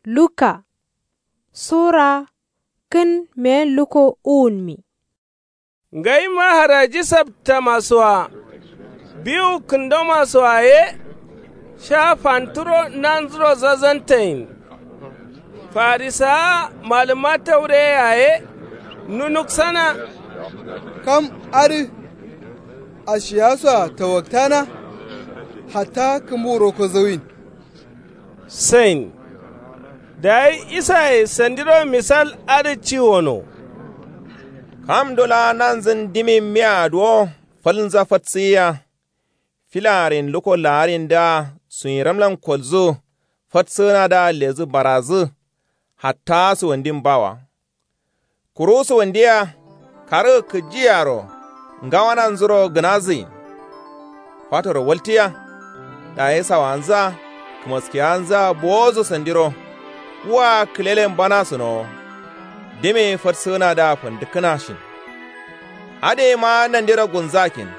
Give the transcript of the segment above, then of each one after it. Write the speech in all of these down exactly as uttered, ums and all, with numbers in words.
Luka sura kǝn meyen luko uwunmi. Ngaima haraji saptamasoa biwu kǝndomasoa ye sha fanturo nanzuro zazantayin. Farisawa malǝma taureye yaye nunuksana. Kam adǝ ashiya soa tawaktana hatta kǝmbu roko zawin. Sain. Dayi isaye sandiro misal adǝ ci wono. Kamdo laa nanzǝn dimin miya duwo falnza fatsǝyiya. Filarin luko laarin dǝa suyiramlan kolzǝ fatsǝnadǝa lezǝ barazǝ. Hatta suwandin bawa. Kuru suwundiya karǝgǝ kǝjiyaro ngawananzuro gǝnazǝyin. Fatoro waltiya dayi sawanzǝa kǝmaskiyanzǝa bowozǝ sandiro. Wua kǝlelen bana sǝnowo. Dime fatsǝnadǝa fandǝkkǝnashin. Adǝyeima nandiro gulnzakin.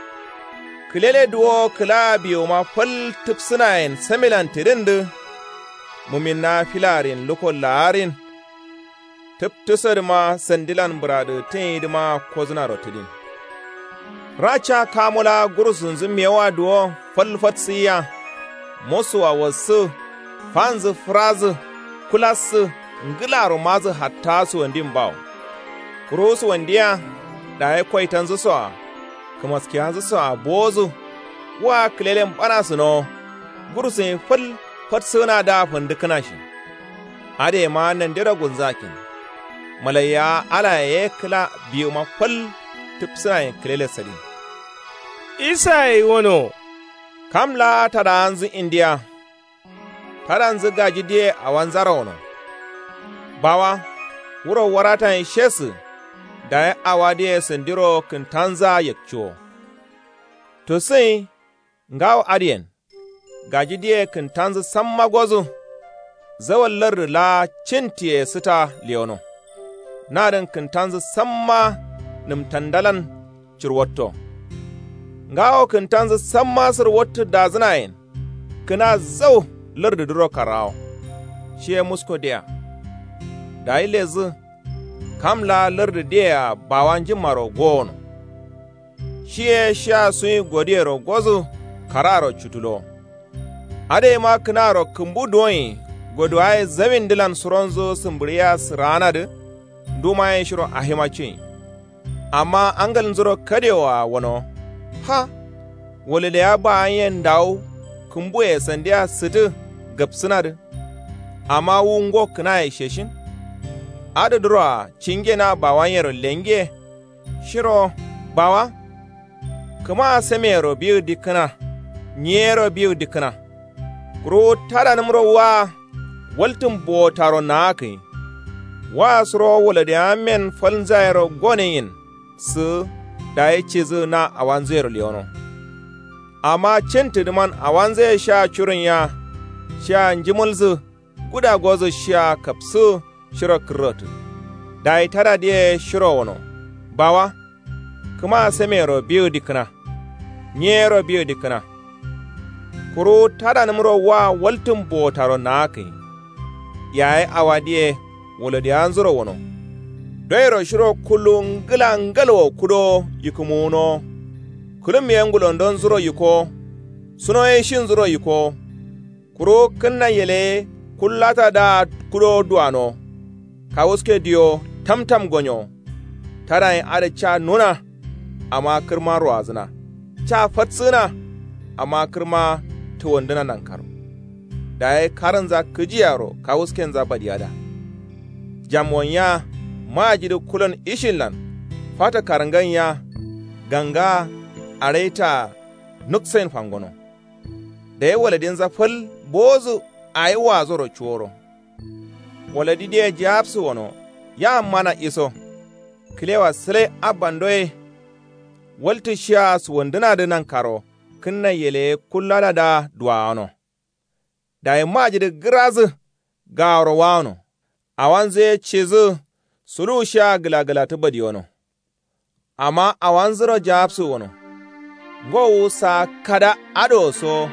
Kǝlele duwo kǝla biwuma fal tǝpsǝnayen samilan tidǝndǝ. Muminna filarin luko laarin. Tǝptǝsodǝma sandilan bǝradǝgǝtǝnyidǝma kozǝnaro tǝdin. Raca kamu laa gurusunzǝ mewoa duwo fal fatsǝyiya. Mosuwa wassǝ fanzǝ fǝrazǝ kulassǝ ngǝlaro mazǝ hatta suwandin bawo. Kuru suwandiya dayi koitanzǝsoa kǝmaskiyanzǝsoa bowozǝ. Wua kǝlelen bana sǝnowo. Gurusuyin fal fatsǝnadǝa fandǝkkǝnashin. Adǝyeima nandiro gulnzakin. Malaiyawa alaye ye kǝla biwuma fal tǝpsǝnayen kǝlele sadin. Isaye wono. Kam laa tadawanzǝ indiya. Tadanzǝ gaji diye awanzaro wono. Bawa wuro waratayen shesǝ. Dayi awa diye sandiro kǝntanzǝa yakciwo. Tusǝnyi ngawo adǝyen. Gaji diye kǝntanzǝ samma gozǝ. Zawal lardǝ laa cintiye sǝta lewono. Nadǝn kǝntanzǝ samma nǝmtandalan cirwatto. Ngawo kǝntanzǝ samma sǝrwattǝ dazǝnayen. Kǝna zau lardǝdǝro karrawo. Shiye musko diya. Dayi lezǝ. Kam laa lardǝ diyea bawa njimmaro gowono. Shiye shiya suyi goduyero gozǝ kararo cutulo. Adǝyeima kǝnaro kǝmbu duwonyi goduwaye zawindǝlan suronzǝ sǝmbǝɍiya sǝraanadǝ. Ndumaye shiro ahima cuyin. Amma angalnzuro kadewoa wono. Ha. Wulǝleya bawanyen ndawu kǝmbuye sandiya sǝtǝ gapsǝnadǝ. Amma wu ngo kǝnaye sheshin. Adǝdǝroa cinge na bawanyero lenge. Shiro bawa. Kǝmaa sameyero biwu dikkǝna. Nyiyero biwu dikkǝna. Kuru tadanǝmro waa waltǝn bowotaro naakǝnyi. Waa suro wolodiyamen falnzayero goneyin. Sǝ dayi cizǝ na awanzǝyero lewono. Amma cintǝdǝman awanzǝye shia curǝnya. Shia njǝmǝlzǝ guda gozǝ shia kapsǝ shiro kǝrrotǝ. Dayi tadadǝye shiro wono. Bawa. Kǝma sameyero biwu dikkǝna. Nyiyero biwu dikkǝna. Kuru tadanǝmro wa waltǝn bowotaro naakǝnyi. Yaye awadǝye wolodiyanzuro wono. Doyero shiro kullu ngǝla ngalwo kudowo yikǝmuwunowo. Kǝlum ye ngulondonzuro yikowo. Suno ye shinzuro yikowo. Kuru kǝnna yeleye kullatada kudowo duwanowo. Kawuske diyowo tamtam gonyowo. Tadayin adǝ ca nuna. Amma kǝrma ruwazǝna. Ca fatsǝgǝna. Amma kǝrma tuwandǝna nankaro. Dayi karǝnza kǝjiyaro kawuskenza badiyada. Jamwon ya. Majidǝ kulon ishinlan. Fato karngan ya. Ganga. Araita. Nuksain fangono. Dayi waladinza fal bowozǝ. Ayi wazoro cuworo. Waladi diye jawabsǝ wono. Ya mana iso. Kǝlewa sǝlai abba ndoye. Waltǝ shiya suwandǝnadǝ nankaro. Kǝnna yeleye kulladada duwawano. Dayi majidǝ gǝrazǝ. Gaworo wawano. Awanzǝ ye cizǝ. Suluwu shiya gǝlagǝlatǝ badiyono. Amma awanzuro jawabsǝ wono. Ngowu saa kada adǝ wo so.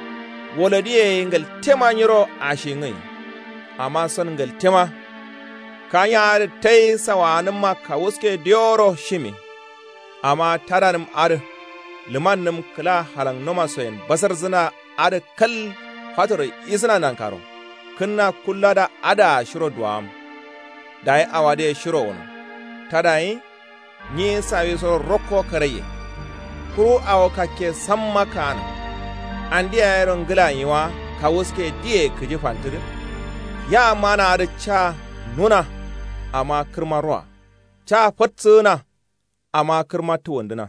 Wolodiye ye ngaltema nyiro ashingǝnyi. Amma son ngǝltema. Kanya adǝ tai sawaanǝmma kawuske diyoro shimi. Amma tadanǝm adǝ lǝmannǝm kǝla halangnomasoyen basarzǝna adǝ kal fatoro isǝna nankaro. Kǝnna kullada adǝa shiro duwawam. Dayi awadǝye shiro wuno. Tadayi nyi sawisoro rokko karaiye. Kuru awo kakke samma kaanǝ. Andi yayero ngǝla nyiwa kawuske diye kǝji fantǝdǝ. Ya mana adǝ ca nuna. Amma kǝrma roa ca fatsǝgǝna. Amma kǝrma tuwandǝna.